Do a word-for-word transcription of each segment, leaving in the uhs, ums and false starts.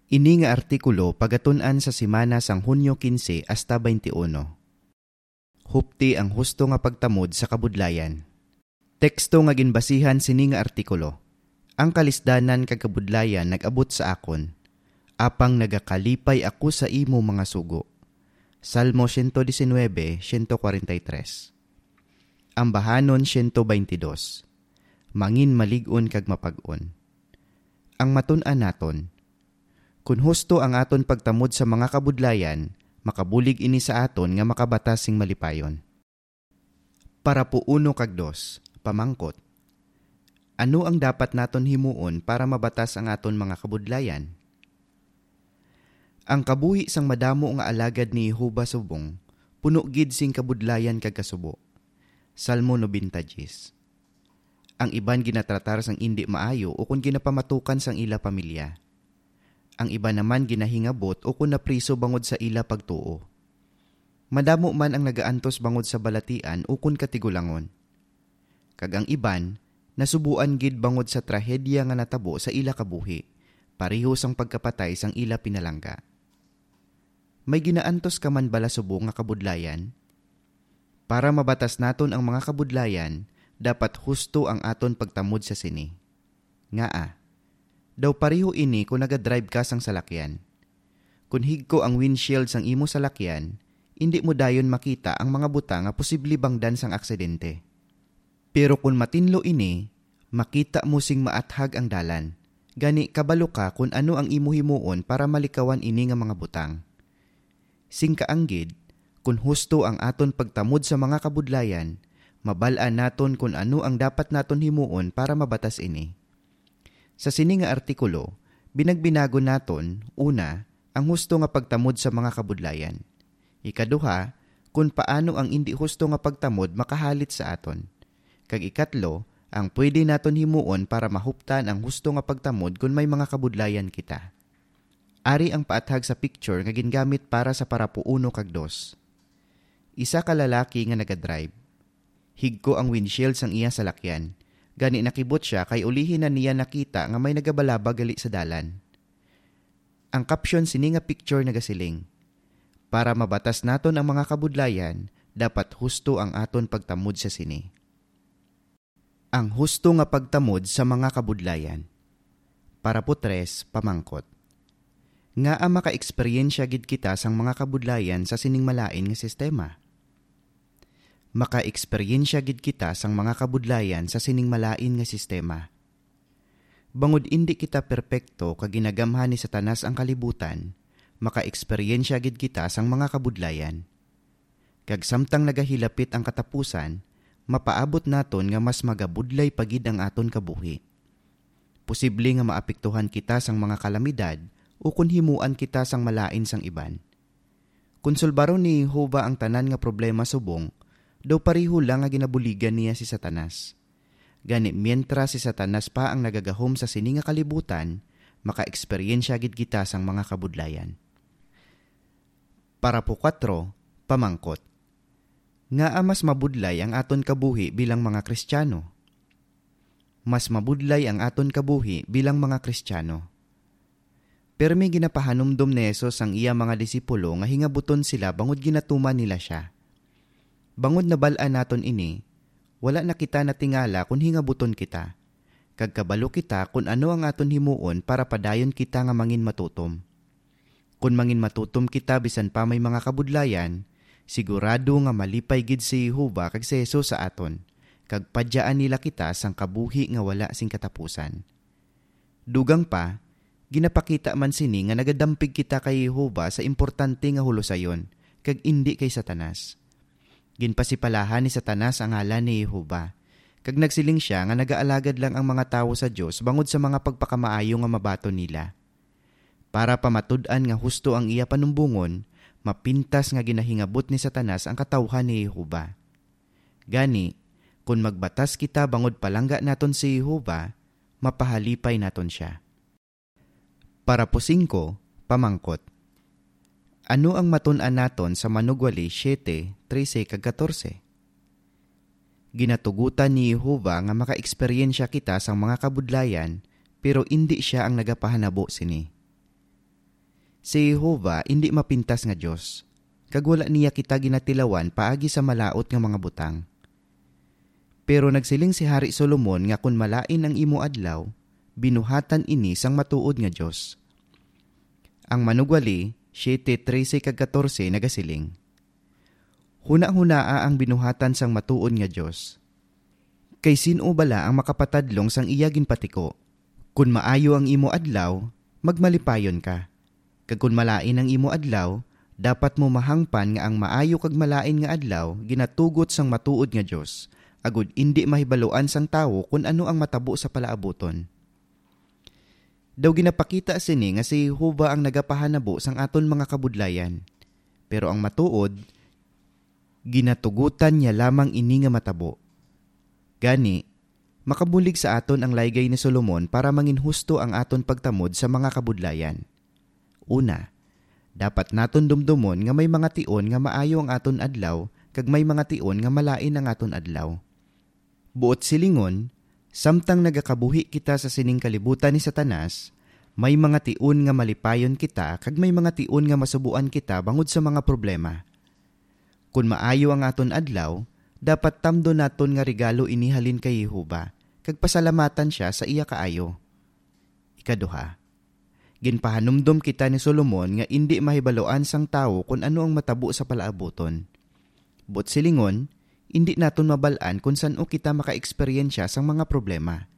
Ini nga artikulo pagatun-an sa semana sang Hunyo quince hasta twenty-one. Hupti ang husto nga pagtamod sa kabudlayan. Teksto nga ginbasihan sini nga artikulo: Ang kalisdanan kag kabudlayan nag-abot sa akon, apang nagakalipay ako sa imo mga sugo. Salmo siyento disinwebe, siyento kwarenta y tres. Ambahanon siyento baynte dos. Mangin malig-on kag mapag-on. Ang matun-an naton: Kon husto ang aton pagtamod sa mga kabudlayan, makabulig ini sa aton nga makabatas sing malipayon. Parapo uno kag dos, pamangkot: Ano ang dapat naton himuon para mabatas ang aton mga kabudlayan? Ang kabuhi sang madamo nga alagad ni Jehovah subong puno gid sing kabudlayan kag kasubo. Salmo nobenta dies. Ang iban ginatratar sang indi maayo ukon ginapamatukan sang ila pamilya. Ang iban naman ginahingabot ukon napriso bangod sa ila pagtuo. Madamo man ang nagaantos bangod sa balatian ukon katigulangon. Kag ang iban nasubuan gid bangod sa trahedya nga natabo sa ila kabuhi, pareho sang pagkapatay sang ila pinalangga. May ginaantos ka man bala subong nga kabudlayan? Para mabatas naton ang mga kabudlayan, dapat husto ang aton pagtamod sa sini. Ngaa? Daw pareho ini kon nagadrive ka sang salakyan. Kon higko ang windshield sang imo salakyan, indi mo dayon makita ang mga butang nga posible bangdan sang aksidente. Pero kon matinlo ini, makita mo sing maathag ang dalan. Gani, kabalo ka kon ano ang imo himuon para malikawan ini nga mga butang. Sing kaanggid, kon husto ang aton pagtamod sa mga kabudlayan, mabal-an naton kon ano ang dapat naton himuon para mabatas ini. Sa sini nga artikulo, binagbinagon naton, una, ang husto nga pagtamod sa mga kabudlayan. Ikaduha, kon paano ang indi husto nga pagtamod makahalit sa aton. Kag ikatlo, ang pwede naton himuon para mahuptan ang husto nga pagtamod kon may mga kabudlayan kita. Ari ang paathag sa picture nga gingamit para sa parapo uno kag dos. Isa ka lalaki nga nagadrive. Higko ang windshield sang iya salakyan. Gani nakibot sia kay ulihi na niya nakita nga may nagabalabag gali sa dalan. Ang caption sini nga picture nagasiling: Para mabatas naton ang mga kabudlayan, dapat husto ang aton pagtamod sa sini. Ang husto nga pagtamod sa mga kabudlayan. Parapo tres, pamangkot: Ngaa makaeksperyensya gid kita sang mga kabudlayan sa sining malain nga sistema? Makaeksperyensya gid kita sang mga kabudlayan sa sining malain nga sistema. Bangod indi kita perpekto kag ginagamhan ni Satanas ang kalibutan, makaeksperyensya gid kita sang mga kabudlayan. Kag samtang nagahilapit ang katapusan, mapaabot naton nga mas magabudlay pa gid ang aton kabuhi. Posible nga maapektuhan kita sang mga kalamidad ukon himuan kita sang malain sang iban. Kon sulbaron ni Jehovah ang tanan nga problema subong, daw pareho lang nga ginabuligan niya si Satanas. Gani, mientras si Satanas pa ang nagagahom sa sini nga kalibutan, makaeksperyensya gid kita sang mga kabudlayan. Parapo kuwatro, pamangkot: Ngaa mas mabudlay ang aton kabuhi bilang mga Kristiyano? Mas mabudlay ang aton kabuhi bilang mga Kristiyano. Pirme ginapahanumdom ni Jesus ang iya mga disipulo nga hingabuton sila bangod ginatuman nila sia. Bangod nabal-an naton ini, wala na kita natingala kon hingabuton kita, kag kabalo kita kon ano ang aton himuon para padayon kita nga manginmatutom. Kon manginmatutom kita bisan pa may mga kabudlayan, sigurado nga malipay gid si Jehovah kag si Jesus sa aton, kag padyaan nila kita sang kabuhi nga wala sing katapusan. Dugang pa, ginapakita man sini nga nagadampig kita kay Jehovah sa importante nga hulusayon, kag indi kay Satanas. Ginpasipalahan ni Satanas ang ngalan ni Jehovah, kag nagsiling sia nga nagaalagad lang ang mga tawo sa Dios bangod sa mga pagpakamaayo nga mabaton nila. Para pamatud-an nga husto ang iya panumbongon, mapintas nga ginahingabot ni Satanas ang katawhan ni Jehovah. Gani, kon magbatas kita bangod palangga naton si Jehovah, mapahalipay naton sia. Parapo singko, pamangkot: Ano ang matun-an naton sa Manugwali siete, trese kag katorse? Ginatugotan ni Jehovah nga makaeksperyensya kita sang mga kabudlayan, pero indi sia ang nagapahanabo sini. Si Jehovah indi mapintas nga Dios, kag wala niya kita ginatilawan paagi sa malaut nga mga butang. Pero nagsiling si Hari Solomon nga kon malain ang imo adlaw, binuhatan ini sang matuod nga Dios. Ang Manugwali siete trese kag katorse nagasiling, "Hunahunaa ang binuhatan sang matuod nga Dios. Kay sin-o bala ang makapatadlong sang iya ginpatiko? Kon maayo ang imo adlaw, magmalipayon ka. Kag kon malain ang imo adlaw, dapat mo mahangpan nga ang maayo kag malain nga adlaw ginatugot sang matuod nga Dios, agod indi mahibaluan sang tawo kon ano ang matabo sa palaabuton." Daw ginapakita sini nga si Jehovah ang nagapahanabo sang aton mga kabudlayan, pero ang matuod, ginatugutan niya lamang ini nga matabo. Gani, makabulig sa aton ang laygay ni Solomon para manginhusto ang aton pagtamod sa mga kabudlayan. Una, dapat naton dumdomon nga may mga tion nga maayo ang aton adlaw kag may mga tion nga malain ang aton adlaw. Buot silingon, samtang nagakabuhi kita sa sining kalibutan ni Satanas, may mga tion nga malipayon kita kag may mga tion nga masubuan kita bangod sa mga problema. Kon maayo ang aton adlaw, dapat tamdon naton nga regalo ini halin kay Jehovah, kag pasalamatan sia sa iya kaayo. Ikaduha, ginpahanumdom kita ni Solomon nga indi mahibaluan sang tawo kon ano ang matabo sa palaabuton. Buot silingon, indi naton mabal-an kon san-o kita makaeksperyensya sang mga problema.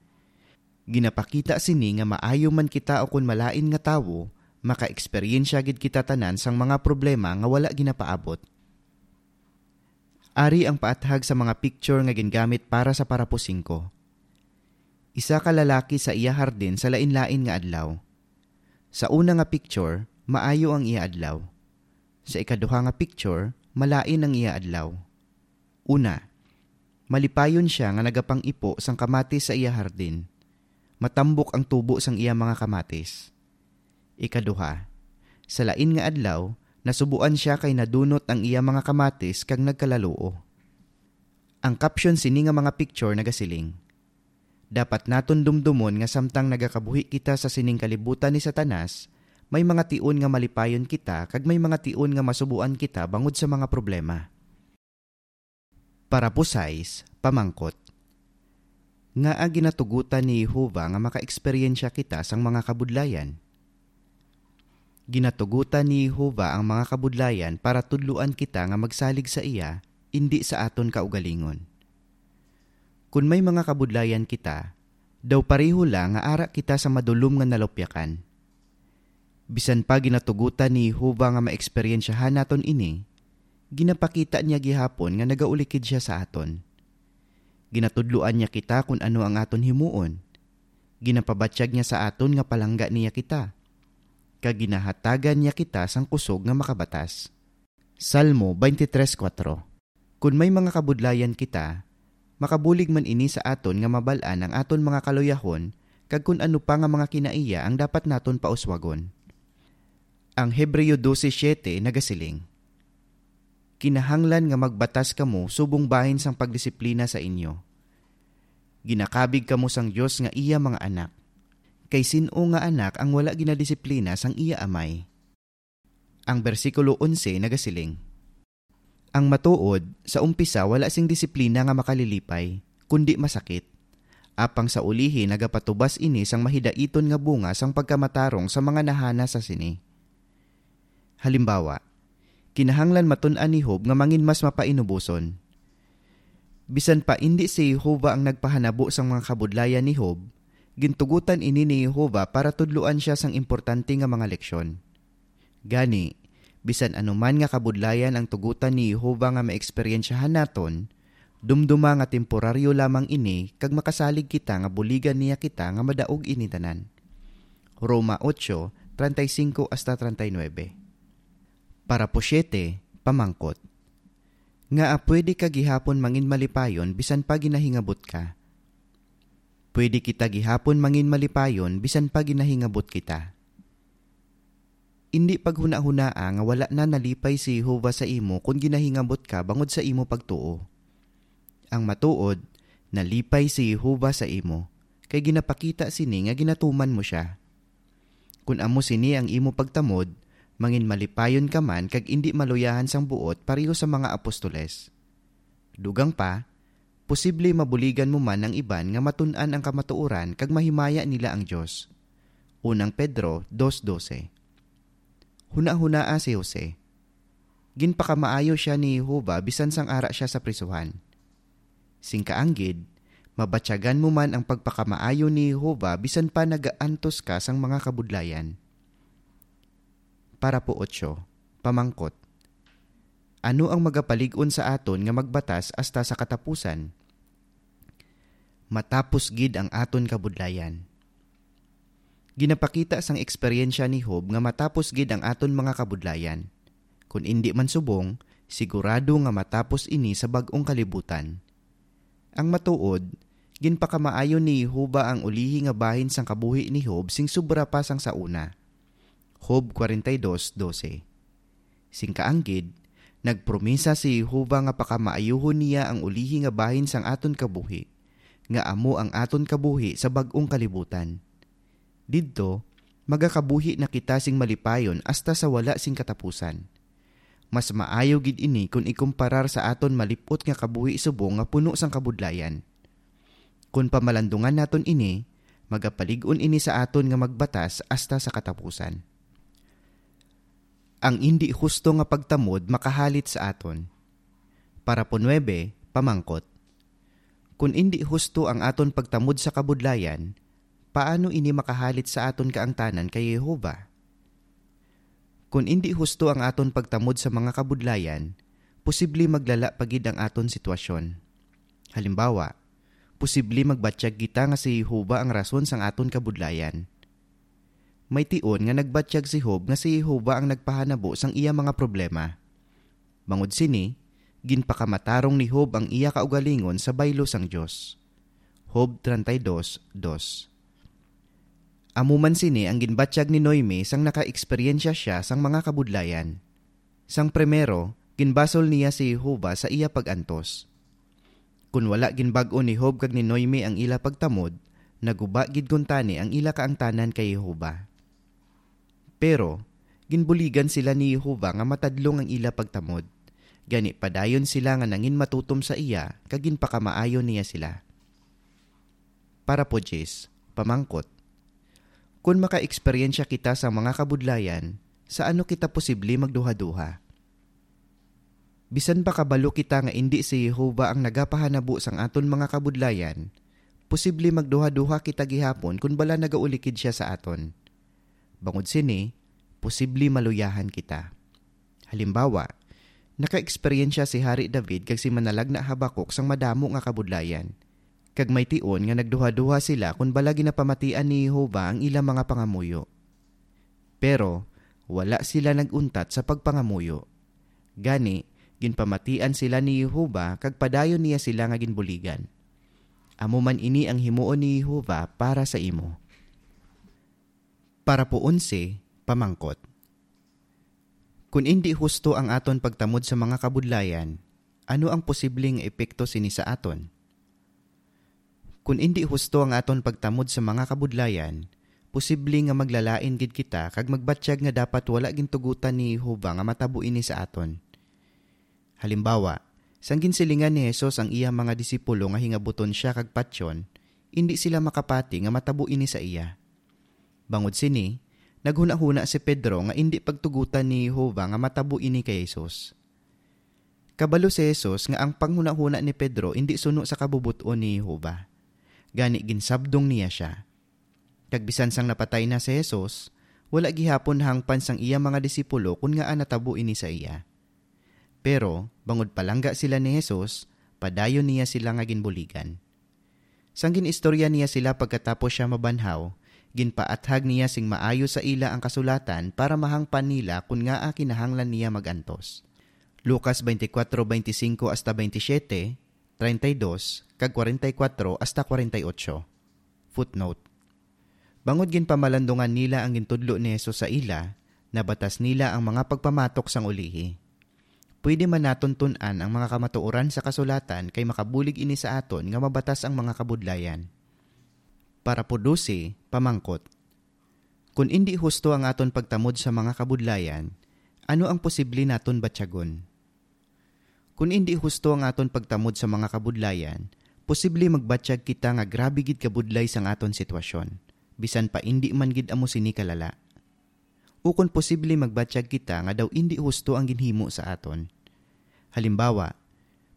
Ginapakita sini nga maayo man kita ukon malain nga tawo, makaeksperyensya gid kita tanan sang mga problema nga wala ginapaabot. Ari ang paathag sa mga picture nga gingamit para sa parapo singko. Isa ka lalaki sa iya hardin sa lain-lain nga adlaw. Sa una nga picture, maayo ang iya adlaw. Sa ikaduha nga picture, malain ang iya adlaw. Una, malipayon sia nga nagapang-ipo sang kamatis sa iya hardin. Matambok ang tubo sang iya mga kamatis. Ikaduha, sa lain nga adlaw, nasubuan sia kay nadunot ang iya mga kamatis kag nagkalaluo. Ang caption sini nga mga picture nagasiling, "Dapat naton dumdomon nga samtang nagakabuhi kita sa sining kalibutan ni Satanas, may mga tion nga malipayon kita kag may mga tion nga masubuan kita bangod sa mga problema." Parapo sais, pamangkot. Ngaa ginatugutan ni Jehovah nga makaeksperyensya kita sang mga kabudlayan? Ginatugutan ni Jehovah ang mga kabudlayan para tudloan kita nga magsalig sa iya, indi sa aton kaugalingon. Kon may mga kabudlayan kita, daw pareho lang nga ara kita sa madulom nga nalupyakan. Bisan pa ginatugutan ni Jehovah nga maeksperyensyahan naton ini, ginapakita niya gihapon nga nagaulikid sia sa aton. Ginatudloan niya kita kon ano ang aton himuon. Ginapabatyag niya sa aton nga palangga niya kita, kag ginahatagan niya kita sang kusog nga makabatas. Salmo twenty-three four. Kon may mga kabudlayan kita, makabulig man ini sa aton nga mabal-an ang aton mga kaluyahon kag kon ano pa nga mga kinaiya ang dapat naton pauswagon. Ang Hebreo doce siete nagasiling, "Kinahanglan nga magbatas kamo subong bahin sang pagdisiplina sa inyo. Ginakabig kamo sang Dios nga iya mga anak. Kay sin-o nga anak ang wala ginadisiplina sang iya amay?" Ang bersikulo onse nagasiling, "Ang matuod, sa umpisa wala sing disiplina nga makalilipay, kundi masakit. Apang sa ulihi nagapatubas ini sang mahidaiton nga bunga sang pagkamatarong sa mga nahana sa sini." Halimbawa, kinahanglan matun-an ni Job nga mangin mas mapainuboson. Bisan pa indi si Jehovah ang nagpahanabo sang mga kabudlayan ni Job, gintugutan ini ni Jehovah para tudloan sia sang importante nga mga leksyon. Gani, bisan ano man nga kabudlayan ang tugutan ni Jehovah nga maeksperyensyahan naton, dumduma nga temporaryo lamang ini kag makasalig kita nga buligan niya kita nga madaog ini tanan. Roma ocho, treinta y cinco hasta treinta y nueve. Parapo siete, pamangkot. Ngaa pwede ka gihapon mangin malipayon bisan pa ginahingabot ka? Pwede kita gihapon mangin malipayon bisan pa ginahingabot kita. Indi paghunahunaa nga wala na nalipay si Jehovah sa imo kon ginahingabot ka bangod sa imo pagtuo. Ang matuod, nalipay si Jehovah sa imo, kay ginapakita sini nga ginatuman mo sia. Kon amo sini ang imo pagtamod, Mangin malipayon ka man kag indi maluyahan sang buot pareho sa mga apostoles. Dugang pa, posible mabuligan mo man ang iban nga matun-an ang kamatuoran kag mahimaya nila ang Dios. Unang Pedro dos doce. Hunahunaa si Jose. Ginpakamaayo sia ni Jehovah bisan sang ara sia sa prisuhan. Sing kaanggid, mabatyagan mo man ang pagpakamaayo ni Jehovah bisan pa nagaantos ka sang mga kabudlayan. Parapo otso, pamangkot. Ano ang magapalig-on sa aton nga magbatas hasta sa katapusan? Matapos gid ang aton kabudlayan. Ginapakita sang eksperyensya ni Job nga matapos gid ang aton mga kabudlayan. Kun indi man subong, sigurado nga matapos ini sa bag-ong kalibutan. Ang matuod, ginpakamaayo ni Jehovah ang ulihi nga bahin sang kabuhi ni Job sing sobra pa sang sa una. Job forty-two doce. Sing kaanggid, nagpromisa si Jehovah nga pakamaayuhon niya ang ulihi nga bahin sang aton kabuhi, nga amo ang aton kabuhi sa bag-ong kalibutan. Didto, magakabuhi na kita sing malipayon hasta sa wala sing katapusan. Mas maayo gid ini kon ikumparar sa aton malip-ot nga kabuhi subong nga puno sang kabudlayan. Kon pamalandungan naton ini, magapalig-on ini sa aton nga magbatas hasta sa katapusan. Ang indi husto nga pagtamod makahalit sa aton. Parapo nuebe, pamangkot. Kon indi husto ang aton pagtamod sa kabudlayan, paano ini makahalit sa aton kaangtanan kay Jehovah? Kon indi husto ang aton pagtamod sa mga kabudlayan, posible maglala pa gid ang aton sitwasyon. Halimbawa, posible magbatyag kita nga si Jehovah ang rason sang aton kabudlayan. May tion nga nagbatyag si Job nga si Jehovah ang nagpahanabo sang iya mga problema. Bangod sini, ginpakamatarong ni Job ang iya kaugalingon sa baylo sang Dios. Job treinta y dos dos. Amo man sini ang ginbatyag ni Noemi sang nakaeksperyensya sia sang mga kabudlayan. Sang primero, ginbasol niya si Jehovah sa iya pag-antos. Kon wala ginbag-o ni Job kag ni Noemi ang ila pagtamod, naguba gid kuntani ang ila kaangtanan kay Jehovah. Pero, ginbuligan sila ni Jehovah nga matadlong ang ila pagtamod. Gani padayon sila nga nangin matutom sa iya kag ginpakamaayo niya sila. Parapo diyes, pamangkot. Kon makaeksperyensya kita sa mga kabudlayan, sa ano kita posible magduhaduha? Bisan pa kabalo kita nga indi si Jehovah ang nagapahanabo sang aton mga kabudlayan, posible magduhaduha kita gihapon kon bala nagaulikid sia sa aton. Bangod sini, posible maluyahan kita. Halimbawa, nakaeksperyensya si Hari David kag si Manalagna Habacuc sang madamo nga kabudlayan, kag may tion nga nagduhaduha sila kon bala ginapamatian ni Jehovah ang ila mga pangamuyo. Pero wala sila nag-untat sa pagpangamuyo. Gani, ginpamatian sila ni Jehovah kag padayon niya sila nga ginbuligan. Amo man ini ang himuon ni Jehovah para sa imo. Parapo onse, pamangkot. Kon indi husto ang aton pagtamod sa mga kabudlayan, ano ang posible nga epekto sini sa aton? Kon indi husto ang aton pagtamod sa mga kabudlayan, posible nga maglalain gid kita kag magbatyag nga dapat wala gintugotan ni Jehovah nga matabo ini sa aton. Halimbawa, sang ginsilingan ni Jesus ang iya mga disipulo nga hingabuton sia kag patyon, indi sila makapati nga matabo ini sa iya. Bangod sini, naghunahuna si Pedro nga indi pagtugotan ni Jehovah nga matabo ini kay Jesus. Kabalo si Jesus nga ang panghunahuna ni Pedro indi suno sa kabubot-on ni Jehovah. Gani, ginsabdong niya sia. Kag bisan sang napatay na si Jesus, wala gihapon hangpan sang iya mga disipulo kon ngaa natabo ini sa iya. Pero, bangod palangga sila ni Jesus, padayon niya sila nga ginbuligan. Sang gin-istorya niya sila pagkatapos sia mabanhaw, ginpaathag niya sing maayo sa ila ang kasulatan para mahangpan nila kon ngaa kinahanglan niya mag-antos. Lucas twenty-four, twenty-five hasta twenty-seven, treinta y dos, kag forty-four hasta forty-eight. Footnote. Bangod ginpamalandungan nila ang gintudlo ni Jesus sa ila, nabatas nila ang mga pagpamatok sang ulihi. Pwede man naton tun-an ang mga kamatuoran sa kasulatan kay makabulig ini sa aton nga mabatas ang mga kabudlayan. Parapo dose, pamangkot. Kon indi husto ang aton pagtamod sa mga kabudlayan, ano ang posible naton batyagon? Kon indi husto ang aton pagtamod sa mga kabudlayan, posible magbatyag kita nga grabe gid kabudlay sang aton sitwasyon, bisan pa indi man gid amo sini kalala. Ukon posible magbatyag kita nga daw indi husto ang ginhimo sa aton. Halimbawa,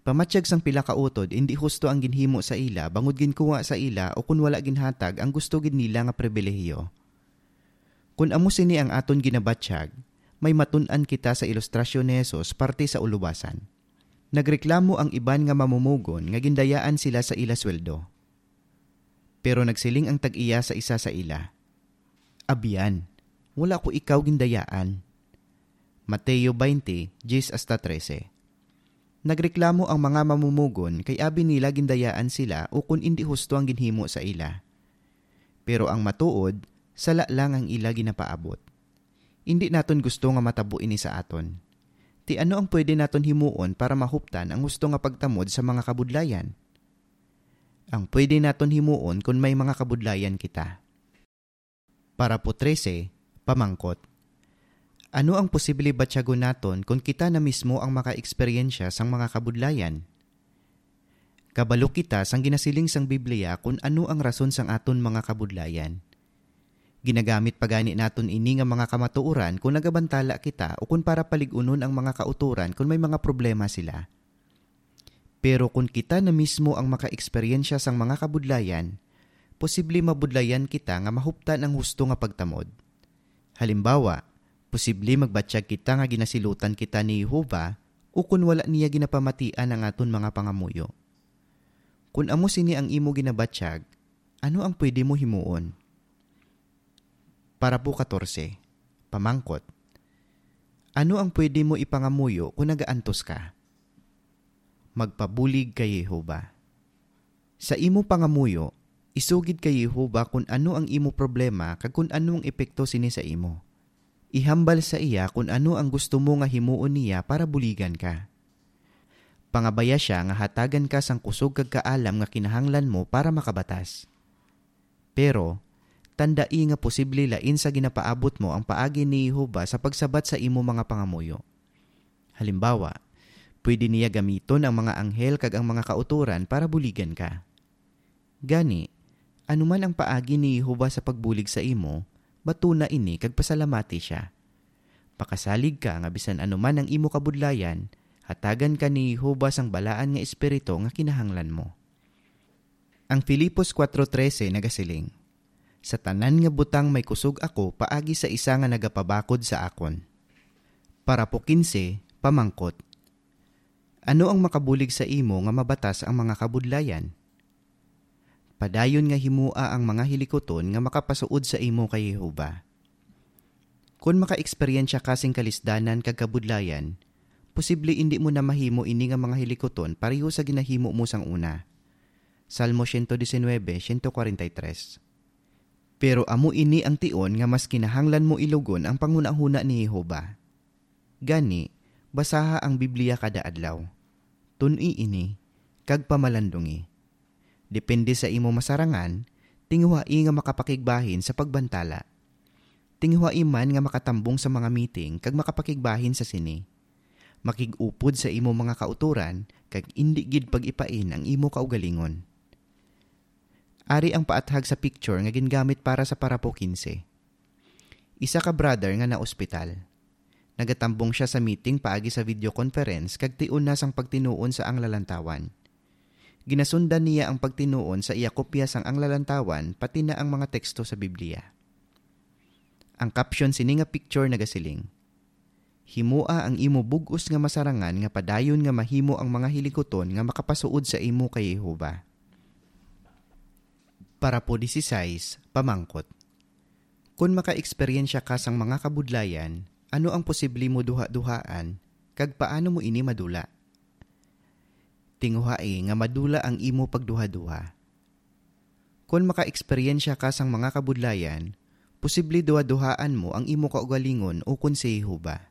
pamatyag sang pila ka utod, indi husto ang ginhimo sa ila bangod ginkuha sa ila o kon wala ginhatag ang gusto gid nila nga pribilehiyo. Kon amo sini ang aton ginabatyag, may matun-an kita sa ilustrasyon ni Jesus parte sa ulubasan. Nagreklamo ang iban nga mamumugon nga gindayaan sila sa ila sweldo. Pero nagsiling ang tag-iya sa isa sa ila, "Abyan, wala ko ikaw gindayaan." Mateo twenty, diyes hasta trese. Nagreklamo ang mga mamumugon kay abi nila gindayaan sila ukon indi husto ang ginhimo sa ila. Pero ang matuod, sala lang ang ila ginapaabot. Indi naton gusto nga matabo ini sa aton. Ti ano ang pwede naton himuon para mahuptan ang husto nga pagtamod sa mga kabudlayan? Ang pwede naton himuon kon may mga kabudlayan kita. Parapo trese, pamangkot. Ano ang posible batyagon naton kon kita na mismo ang makaeksperyensya sang mga kabudlayan? Kabalo kita sang ginasiling sang Biblia kon ano ang rason sang aton mga kabudlayan. Ginagamit pa gani naton ini nga mga kamatuoran kon nagabantala kita o kon para palig-unon ang mga kautoran kon may mga problema sila. Pero kon kita na mismo ang makaeksperyensya sang mga kabudlayan, posible mabudlayan kita nga mahuptan ang husto nga pagtamod. Halimbawa, posible magbatyag kita nga ginasilutan kita ni Jehovah ukon wala niya ginapamatian ang aton mga pangamuyo. Kon amo sini ang imo ginabatyag, ano ang pwede mo himuon? Parapo katorse, pamangkot. Ano ang pwede mo ipangamuyo kon nagaantos ka? Magpabulig kay Jehovah. Sa imo pangamuyo, isugid kay Jehovah kon ano ang imo problema kag kon ano ang epekto sini sa imo. Ihambal sa iya kon ano ang gusto mo nga himuon niya para buligan ka. Pangabaya sia nga hatagan ka sang kusog kag kaalam nga kinahanglan mo para makabatas. Pero, tandai nga posible lain sa ginapaabot mo ang paagi ni Jehovah sa pagsabat sa imo mga pangamuyo. Halimbawa, pwede niya gamiton ang mga anghel kag ang mga kautoran para buligan ka. Gani, ano man ang paagi ni Jehovah sa pagbulig sa imo, batuna ini kag pasalamati sia. Pakasalig ka nga bisan ano man ang imo kabudlayan, hatagan ka ni Jehovah sang balaan nga espiritu nga kinahanglan mo. Ang Filipos kuwatro trese nagasiling, "Sa tanan nga butang may kusog ako paagi sa isa nga nagapabakod sa akon." Parapo kinse, pamangkot. Ano ang makabulig sa imo nga mabatas ang mga kabudlayan? Padayon nga himoa ang mga hilikuton nga makapasuod sa imo kay Jehovah. Kon makaeksperyensya ka sing kalisdanan kag kabudlayan, posible indi mo na mahimo ini nga mga hilikuton pareho sa ginahimo mo sang una. Salmo siyento disinwebe, siyento kwarenta y tres. Pero amo ini ang tion nga mas kinahanglan mo ilugon ang panghunahuna ni Jehovah. Gani, basaha ang Biblia kada adlaw. Tun-i ini, kag pamalandungi. Depende sa imo masarangan, tinguhai nga makapakigbahin sa pagbantala. Tinguhai man nga makatambong sa mga meeting kag makapakigbahin sa sini. Makig-upod sa imo mga kautoran kag indi gid pag-ipain ang imo kaugalingon. Ari ang paathag sa picture nga gingamit para sa parapo kinse. Isa ka brother nga naospital. Nagatambong sia sa meeting paagi sa video conference kag tion na sang pagtinuon sa Ang Lalantawan. Ginasundan niya ang pagtinuon sa iya kopya sang Ang Lalantawan, pati na ang mga teksto sa Biblia. Ang caption sini nga picture nagasiling, "Himoa ang imo bug-os nga masarangan nga padayon nga mahimo ang mga hilikuton nga makapasuod sa imo kay Jehovah." Parapo dieciséis, pamangkot. Kon makaeksperyensya ka sang mga kabudlayan, ano ang posible mo duhaduhaan, kag paano mo ini madula? Tinguhai nga madula ang imo pagduhaduha. Kon makaeksperyensya ka sang mga kabudlayan, posible duhaduhaan mo ang imo kaugalingon ukon si Jehovah.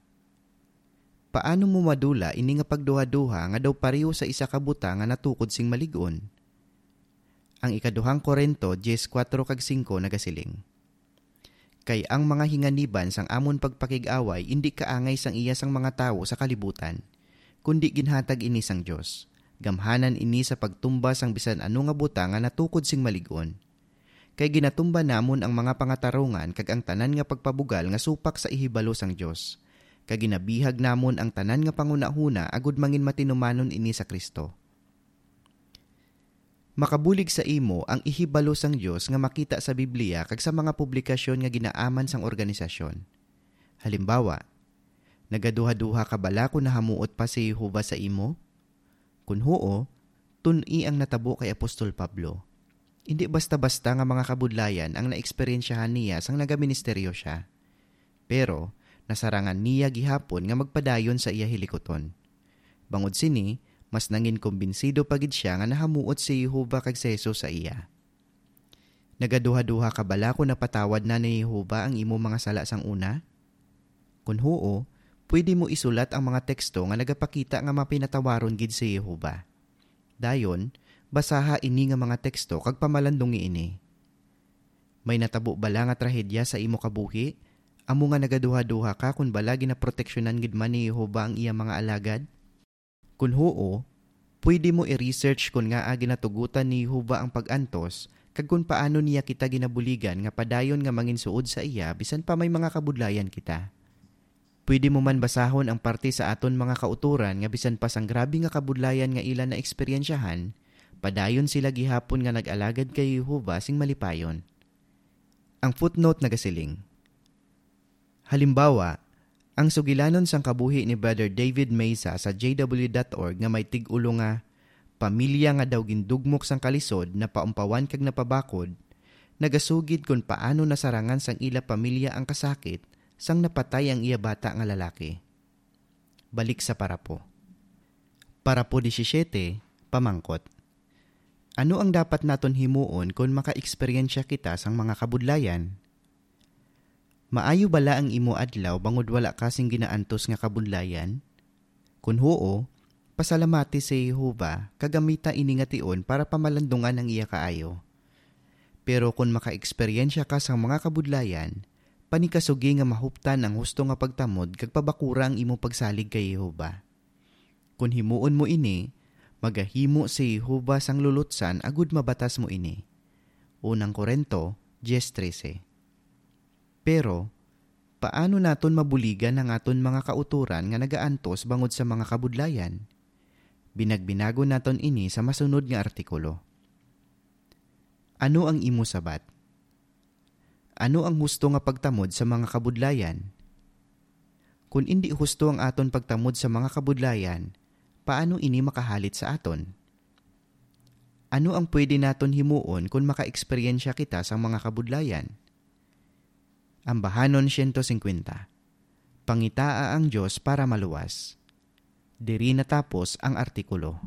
Paano mo madula ini nga pagduhaduha nga daw pareho sa isa ka butang nga natukod sing malig-on? Ang ikaduhang Corinto diyes, kuwatro kag singko nagasiling, Kay ang mga hinganiban sang amon pagpakig-away indi kaangay sang iya sang mga tawo sa kalibutan, kundi ginhatag ini sang Dios. Gamhanan ini sa pagtumba sang bisan ano nga butang nga natukod sing malig-on. Kay ginatumba namon ang mga pangatarungan kag ang tanan nga pagpabugal nga supak sa ihibalo sang Dios, kag ginabihag namon ang tanan nga panghunahuna agud mangin matinumanon ini sa Cristo. Makabulig sa imo ang ihibalo sang Dios nga makita sa Biblia kag sa mga publikasyon nga ginaaman sang organisasyon. Halimbawa, nagaduhaduha ka bala kon nahamuot pa si Jehovah sa imo? Kon huo, tun-i ang natabo kay Apostol Pablo. Indi basta-basta nga mga kabudlayan ang naeksperyensyahan niya sang nagaministeryo sia. Pero nasarangan niya gihapon nga magpadayon sa iya hilikuton. Bangod sini, mas nangin kumbinsido pa gid sia nga nahamuot si Jehovah kag si Jesus sa iya. Nagaduhaduha ka bala kon napatawad na ni Jehovah ang imo mga sala sang una? Kon huo, pwede mo isulat ang mga teksto nga nagapakita nga mapinatawaron gid si Jehovah. Dayon, basaha ini nga mga teksto kag pamalandungi ini. May natabo bala nga trahedya sa imo kabuhi, amo nga nagaduhaduha ka kon bala ginaproteksyonan gid man ni Jehovah ang iya mga alagad? Kon huo, pwede mo i-research kon ngaa ginatugutan ni Jehovah ang pag-antos kag kon paano niya kita ginabuligan nga padayon nga manginsuod sa iya bisan pa may mga kabudlayan kita. Pwede mo man basahon ang parte sa aton mga kautoran nga bisan pa sang grabe nga kabudlayan nga ila naeksperyensyahan, padayon sila gihapon nga nag-alagad kay Jehovah sing malipayon. Ang footnote nagasiling, halimbawa, ang sugilanon sang kabuhi ni Brother David Mesa sa J W dot org nga may tig-ulo nga "Pamilya nga daw gindugmok sang kalisod, napaumpawan kag napabakod," nagasugid kon paano nasarangan sang ila pamilya ang kasakit sang napatay ang iya bata nga lalaki. Balik sa parapo. Parapo disisiete, pamangkot. Ano ang dapat naton himuon kon makaeksperyensya kita sang mga kabudlayan? Maayo bala ang imo adlaw bangod wala ka sing ginaantos nga kabudlayan? Kon huo, pasalamati si Jehovah kag gamita ini nga tion para pamalandungan ang iya kaayo. Pero kon makaeksperyensya ka sang mga kabudlayan, panikasugi nga mahuptan ang husto nga pagtamod kag pabakura ang imo pagsalig kay Jehovah. Kon himuon mo ini, magahimo si Jehovah sang lulutsan agud mabatas mo ini. Unang Corinto diez trese. Pero, paano naton mabuligan ang aton mga kautoran nga nagaantos bangod sa mga kabudlayan? Binagbinagon naton ini sa masunod nga artikulo. Ano ang imo sabat? Ano ang husto nga pagtamod sa mga kabudlayan? Kon indi husto ang aton pagtamod sa mga kabudlayan, paano ini makahalit sa aton? Ano ang pwede naton himuon kon makaeksperyensya kita sang mga kabudlayan? Ambahanon siyento singkwenta. Pangitaa ang Dios para maluwas. Diri natapos ang artikulo.